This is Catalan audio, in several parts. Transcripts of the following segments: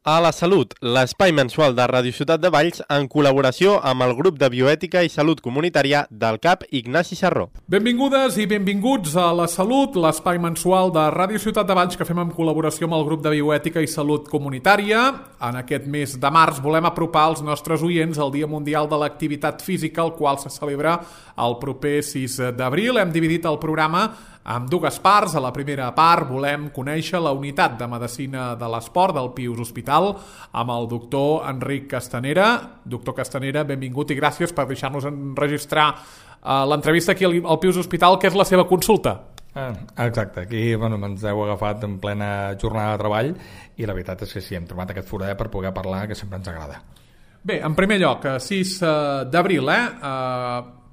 A la Salut, l'espai mensual de Ràdio Ciutat de Valls en col·laboració amb el grup de bioètica i salut comunitària del CAP Ignasi Sarró. Benvingudes i benvinguts a La Salut, l'espai mensual de Ràdio Ciutat de Valls que fem en col·laboració amb el grup de bioètica i salut comunitària. En aquest mes de març volem apropar als nostres oients al Dia Mundial de l'Activitat Física, el qual se celebra el proper 6 d'abril. Hem dividit el programa amb dues parts. A la primera part volem conèixer la unitat de medicina de l'esport del Pius Hospital amb el doctor Enric Castanera. Doctor Castanera, benvingut i gràcies per deixar-nos enregistrar l'entrevista aquí al Pius Hospital, que és la seva consulta. Exacte, aquí ens heu agafat en plena jornada de treball i la veritat és que sí, hem trobat aquest forat per poder parlar, que sempre ens agrada. Bé, en primer lloc, 6 d'abril,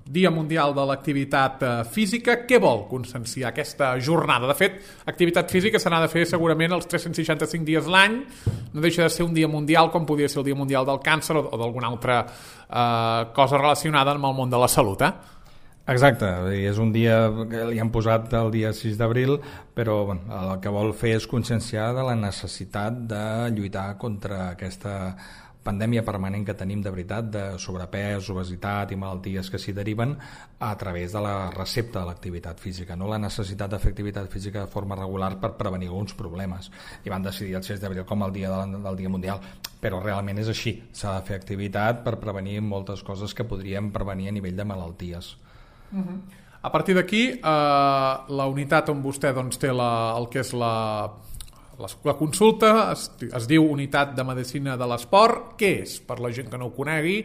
Dia Mundial de l'Activitat Física. Què vol conscienciar aquesta jornada? De fet, activitat física se n'ha de fer segurament els 365 dies l'any. No deixa de ser un dia mundial com podria ser el Dia Mundial del Càncer o d'alguna altra cosa relacionada amb el món de la salut, Exacte, és un dia que li han posat el dia 6 d'abril, però el que vol fer és conscienciar de la necessitat de lluitar contra aquesta pandèmia permanent que tenim de veritat de sobrepès, obesitat i malalties que s'hi deriven a través de la recepta de l'activitat física, no la necessitat de fer activitat física de forma regular per prevenir alguns problemes. I van decidir el 6 d'abril com el dia del Dia Mundial, però realment és així, s'ha de fer activitat per prevenir moltes coses que podríem prevenir a nivell de malalties. A partir d'aquí, la unitat on vostè té el que és la consulta es diu Unitat de Medicina de l'Esport. Què és, per la gent que no ho conegui?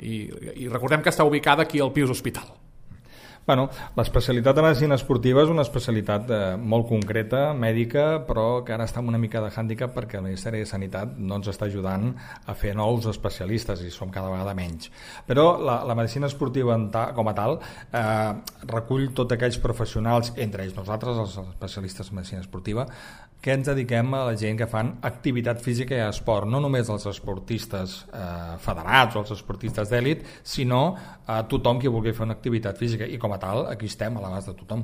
I recordem que està ubicada aquí al Pius Hospital. L'especialitat de medicina esportiva és una especialitat molt concreta, mèdica, però que ara està amb una mica de hàndicap perquè el Ministeri de Sanitat no ens està ajudant a fer nous especialistes i som cada vegada menys. Però la medicina esportiva com a tal recull tots aquells professionals, entre ells nosaltres, els especialistes en medicina esportiva, que ens dediquem a la gent que fan activitat física i esport, no només els esportistes federats o els esportistes d'èlit, sinó a tothom qui vulgui fer una activitat física, i com a tal, aquí estem a l'abast de tothom.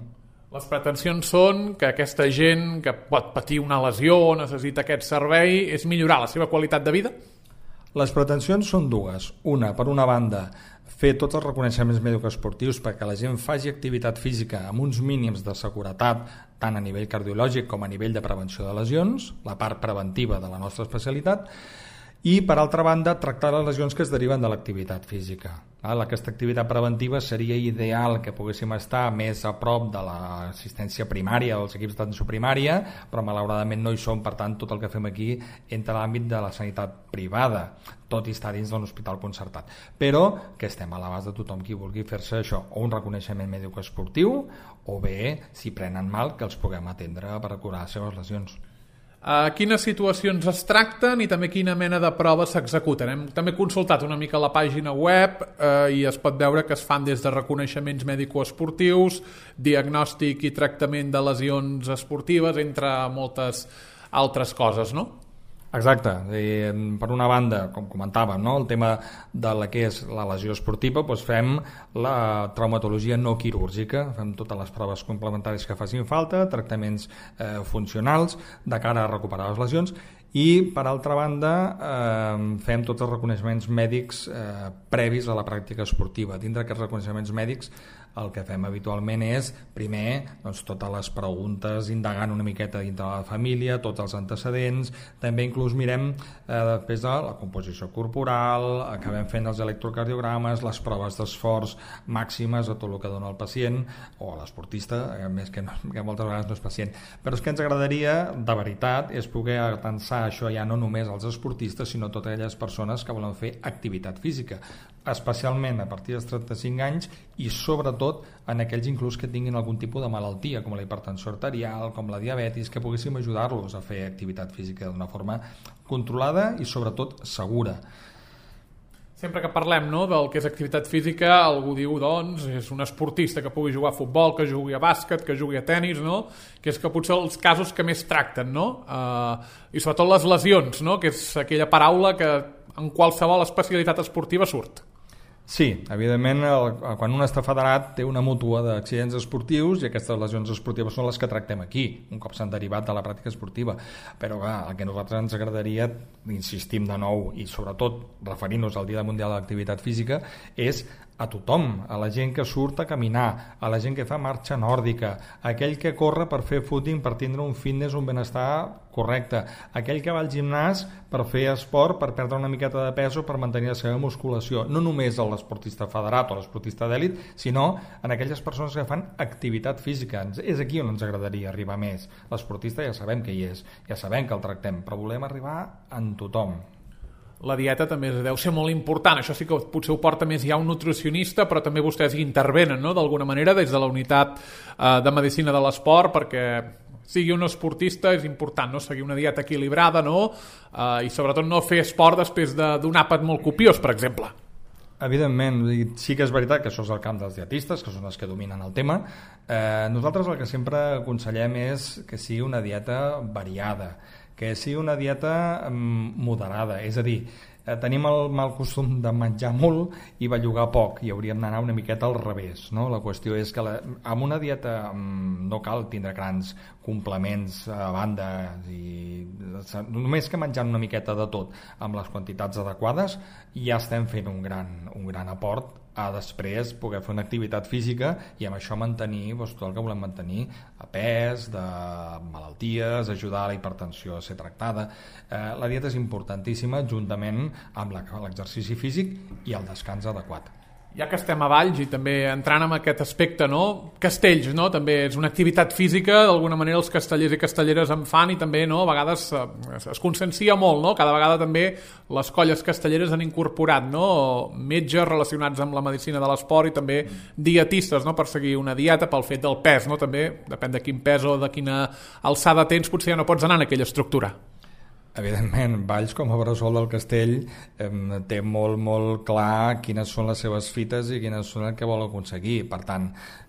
Les pretensions són que aquesta gent que pot patir una lesió o necessita aquest servei és millorar la seva qualitat de vida? Les pretensions són dues. Una, per una banda, fer tots els reconeixements mèdico-esportius perquè la gent faci activitat física amb uns mínims de seguretat tant a nivell cardiològic com a nivell de prevenció de lesions, la part preventiva de la nostra especialitat, i per altra banda tractar les lesions que es deriven de l'activitat física. Aquesta activitat preventiva seria ideal que poguéssim estar més a prop de l'assistència primària dels equips d'atenció primària, però malauradament no hi som, per tant tot el que fem aquí entra a l'àmbit de la sanitat privada, tot i estar dins d'un hospital concertat, però que estem a l'abast de tothom qui vulgui fer-se això, o un reconeixement mèdico-esportiu, o bé, si prenen mal, que els puguem atendre per curar les seves lesions. Quines situacions es tracten i també quina mena de proves s'executen? Hem també consultat una mica la pàgina web i es pot veure que es fan des de reconeixements mèdico-esportius, diagnòstic i tractament de lesions esportives, entre moltes altres coses, no? Exacte, per una banda, com comentàvem, el tema de la que és la lesió esportiva, fem la traumatologia no quirúrgica, fem totes les proves complementàries que facin falta, tractaments funcionals de cara a recuperar les lesions, i per altra banda fem tots els reconeixements mèdics previs a la pràctica esportiva. Dintre d'aquests reconeixements mèdics el que fem habitualment és, primer, totes les preguntes, indagant una miqueta dintre de la família, tots els antecedents, també inclús mirem després de la composició corporal, acabem fent els electrocardiogrames, les proves d'esforç màximes a tot el que dona el pacient, o l'esportista, més que moltes vegades no és pacient. Però és que ens agradaria, de veritat, és poder atensar això ja no només als esportistes, sinó a totes aquelles persones que volen fer activitat física, especialment a partir dels 35 anys i sobretot en aquells inclús que tinguin algun tipus de malaltia com la hipertensió arterial, com la diabetis, que poguéssim ajudar-los a fer activitat física d'una forma controlada i sobretot segura. Sempre que parlem del que és activitat física, algú diu, és un esportista que pugui jugar a futbol, que jugui a bàsquet, que jugui a tenis, que és que potser els casos que més tracten, i sobretot les lesions, que és aquella paraula que en qualsevol especialitat esportiva surt. Sí, evidentment, quan un està federat té una mútua d'accidents esportius i aquestes lesions esportives són les que tractem aquí, un cop s'han derivat de la pràctica esportiva. Però clar, el que a nosaltres ens agradaria, insistim de nou, i sobretot referint-nos al Dia Mundial de l'Activitat Física, és a tothom, a la gent que surt a caminar, a la gent que fa marxa nòrdica, a aquell que corre per fer footing, per tindre un fitness, un benestar correcte, aquell que va al gimnàs per fer esport, per perdre una miqueta de pes o per mantenir la seva musculació, no només a l'esportista federat o l'esportista d'èlit, sinó en aquelles persones que fan activitat física. És aquí on ens agradaria arribar més. L'esportista ja sabem que hi és, ja sabem que el tractem, però volem arribar en tothom. La dieta també deu ser molt important, això sí que potser ho porta més ja un nutricionista, però també vostès hi intervenen, no?, d'alguna manera des de la unitat de medicina de l'esport, perquè sigui un esportista és important, no?, seguir una dieta equilibrada, no?, i sobretot no fer esport després d'un àpat molt copiós, per exemple. Evidentment, sí que és veritat que això és el camp dels dietistes, que són els que dominen el tema. Nosaltres el que sempre aconsellem és que sigui una dieta variada, que sigui una dieta moderada, és a dir, tenim el mal costum de menjar molt i bellugar poc, i hauríem d'anar una miqueta al revés, no? La qüestió és que amb una dieta no cal tindre grans complements a banda, i només que menjant una miqueta de tot amb les quantitats adequades ja estem fent un gran aport a després poder fer una activitat física i amb això mantenir tot el que volem mantenir, a pes, de malalties, ajudar a la hipertensió a ser tractada. La dieta és importantíssima juntament amb l'exercici físic i el descans adequat. Ja que estem a Valls i també entrant en aquest aspecte, no? Castells, no? També és una activitat física, d'alguna manera els castellers i castelleres en fan i també, no?, a vegades es consciencia molt, no? Cada vegada també les colles castelleres han incorporat, no?, metges relacionats amb la medicina de l'esport i també dietistes, no?, per seguir una dieta pel fet del pes, no? També depèn de quin pes o de quina alçada tens, potser ja no pots anar en aquella estructura. Evidentment, Valls com a bressol del castell té molt clar quines són les seves fites i quines són el que vol aconseguir. Per tant,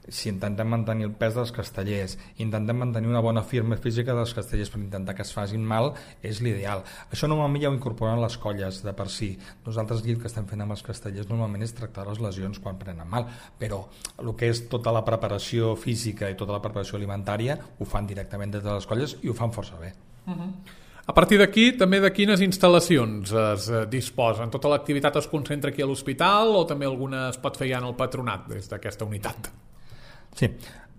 si intentem mantenir el pes dels castellers, intentem mantenir una bona firma física dels castellers per intentar que es facin mal, és l'ideal. Això normalment ja ho incorporen les colles de per si. Nosaltres aquí el que estem fent amb els castellers normalment és tractar les lesions quan prenen mal, però el que és tota la preparació física i tota la preparació alimentària ho fan directament des de les colles i ho fan força bé. A partir d'aquí, també de quines instal·lacions es disposen? Tota l'activitat es concentra aquí a l'hospital o també alguna es pot fer ja en el patronat des d'aquesta unitat? Sí.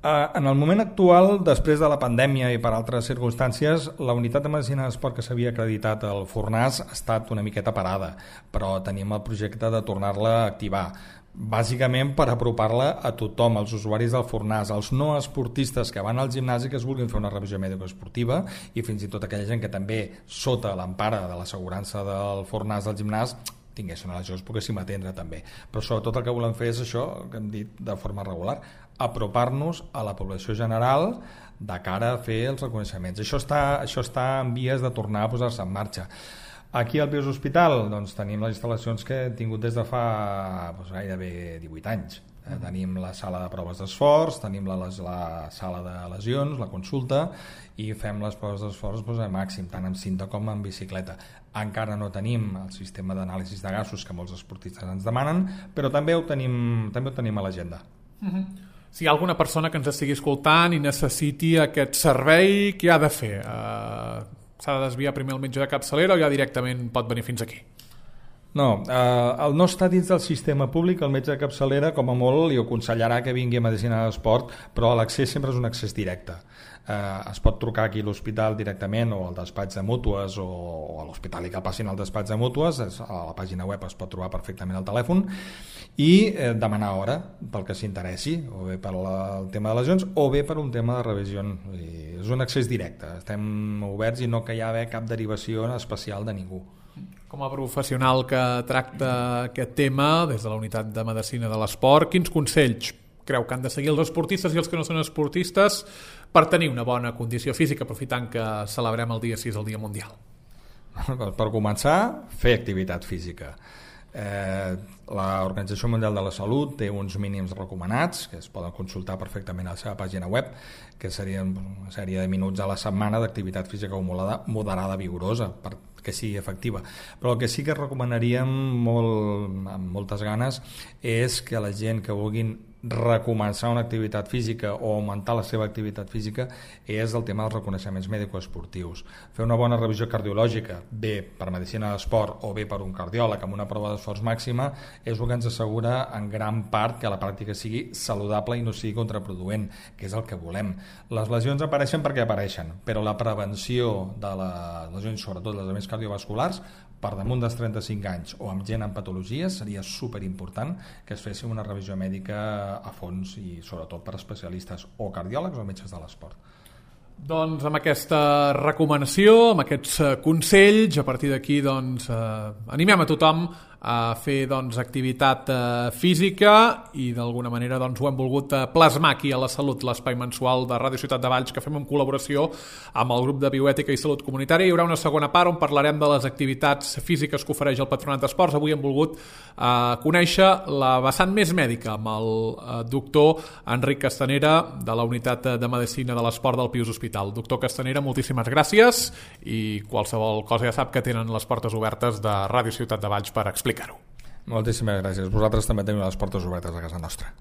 En el moment actual, després de la pandèmia i per altres circumstàncies, la unitat de medicina d'esport que s'havia acreditat al Fornàs ha estat una miqueta parada, però tenim el projecte de tornar-la a activar, bàsicament per apropar-la a tothom, als usuaris del Fornàs, als no esportistes que van al gimnàs i que es vulguin fer una revisió mèdico-esportiva, i fins i tot aquella gent que també, sota l'empara de l'assegurança del Fornàs del gimnàs, tinguessin una lesió, es poguéssim atendre també. Però sobretot el que volem fer és això que hem dit de forma regular, apropar-nos a la població general de cara a fer els reconeixements. Això està en vies de tornar a posar-se en marxa. Aquí al Pius Hospital doncs, tenim les instal·lacions que hem tingut des de fa gairebé 18 anys. Tenim la sala de proves d'esforç, tenim la sala de lesions, la consulta, i fem les proves d'esforç a màxim, tant en cinta com en bicicleta. Encara no tenim el sistema d'anàlisi de gasos que molts esportistes ens demanen, però també ho tenim a l'agenda. Si hi ha alguna persona que ens estigui escoltant i necessiti aquest servei, què ha de fer? S'ha de desviar primer al metge de capçalera o ja directament pot venir fins aquí? No, el no està dins del sistema públic, el metge de capçalera com a molt li aconsellarà que vingui a medicina d'esport, però l'accés sempre és un accés directe. Es pot trucar aquí a l'hospital directament o al despatx de mútues o a l'hospital i que passin al despatx de mútues, a la pàgina web es pot trobar perfectament el telèfon, i demanar hora pel que s'interessi, o bé per el tema de lesions o bé per un tema de revisió. És un accés directe, estem oberts i no que hi ha cap derivació especial de ningú. Com a professional que tracta aquest tema des de la unitat de medicina de l'esport, quins consells creu que han de seguir els esportistes i els que no són esportistes per tenir una bona condició física, aprofitant que celebrem el dia 6, el Dia Mundial? Per començar, fer activitat física. L'Organització Mundial de la Salut té uns mínims recomanats que es poden consultar perfectament a la seva pàgina web, que serien una sèrie de minuts a la setmana d'activitat física moderada vigorosa per que sigui efectiva. Però el que sí que recomanaríem amb moltes ganes és que la gent que vulguin recomençar una activitat física o augmentar la seva activitat física és el tema dels reconeixements mèdico-esportius. Fer una bona revisió cardiològica, bé per medicina d'esport o bé per un cardiòleg amb una prova d'esforç màxima, és el que ens assegura en gran part que la pràctica sigui saludable i no sigui contraproduent, que és el que volem. Les lesions apareixen perquè apareixen, però la prevenció de les lesions, sobretot les lesions cardiovasculars, per damunt dels 35 anys o amb gent amb patologies, seria superimportant que es fessi una revisió mèdica a fons i sobretot per especialistes o cardiòlegs o metges de l'esport. Doncs amb aquesta recomanació, amb aquests consells, a partir d'aquí doncs, animem a tothom a fer doncs, activitat física i d'alguna manera doncs, ho hem volgut plasmar aquí a La Salut, l'espai mensual de Ràdio Ciutat de Valls que fem en col·laboració amb el grup de Bioètica i Salut Comunitària. Hi haurà una segona part on parlarem de les activitats físiques que ofereix el Patronat d'Esports. Avui hem volgut conèixer la vessant més mèdica amb el doctor Enric Castanera de la Unitat de Medicina de l'Esport del Pius Hospital. Doctor Castanera, moltíssimes gràcies i qualsevol cosa ja sap que tenen les portes obertes de Ràdio Ciutat de Valls per explicar-ho. Moltíssimes gràcies. Vosaltres també teniu les portes obertes a casa nostra.